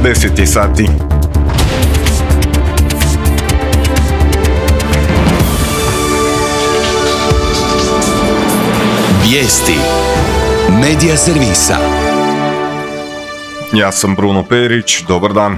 10 je sati. Vijesti Medija servisa. Ja sam Bruno Perić, dobar dan.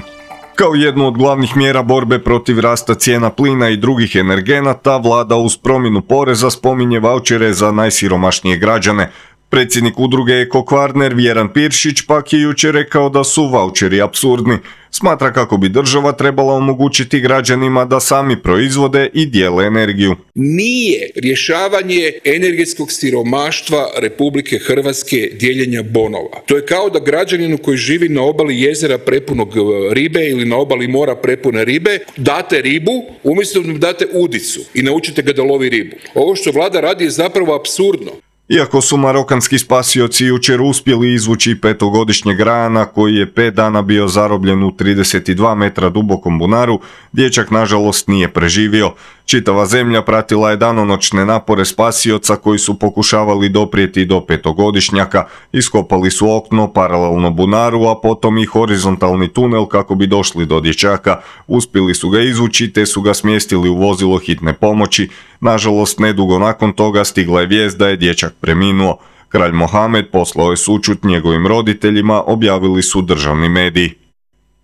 Kao jednu od glavnih mjera borbe protiv rasta cijena plina i drugih energenata, vlada uz promjenu poreza spominje vaučere za najsiromašnije građane. Predsjednik udruge Eko Kvarner Vjeran Piršić pak je jučer rekao da su vaučeri apsurdni. Smatra kako bi država trebala omogućiti građanima da sami proizvode i dijele energiju. Nije rješavanje energetskog siromaštva Republike Hrvatske dijeljenja bonova. To je kao da građaninu koji živi na obali jezera prepunog ribe ili na obali mora prepune ribe date ribu umjesto da mu date udicu i naučite ga da lovi ribu. Ovo što vlada radi je zapravo apsurdno. Iako su marokanski spasioci jučer uspjeli izvući petogodišnjeg rana koji je 5 dana bio zarobljen u 32 metra dubokom bunaru, dječak nažalost nije preživio. Čitava zemlja pratila je danonoćne napore spasioca koji su pokušavali doprijeti do petogodišnjaka. Iskopali su okno paralelno bunaru, a potom i horizontalni tunel kako bi došli do dječaka. Uspjeli su ga izvući te su ga smjestili u vozilo hitne pomoći. Nažalost, nedugo nakon toga stigla je vijest da je dječak preminuo. Kralj Mohamed poslao je sućut njegovim roditeljima, objavili su državni mediji.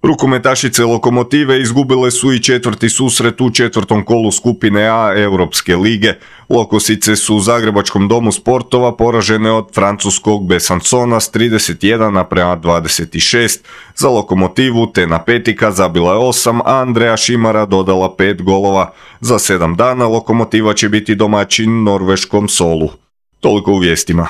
Rukometašice Lokomotive izgubile su i četvrti susret u četvrtom kolu skupine A Europske lige. Lokosice su u Zagrebačkom domu sportova poražene od francuskog Besancona s 31:26. Za Lokomotivu Tena Petika zabila je 8, a Andreja Šimara dodala 5 golova. Za 7 dana Lokomotiva će biti domaćin norveškom Solu. Toliko u vijestima.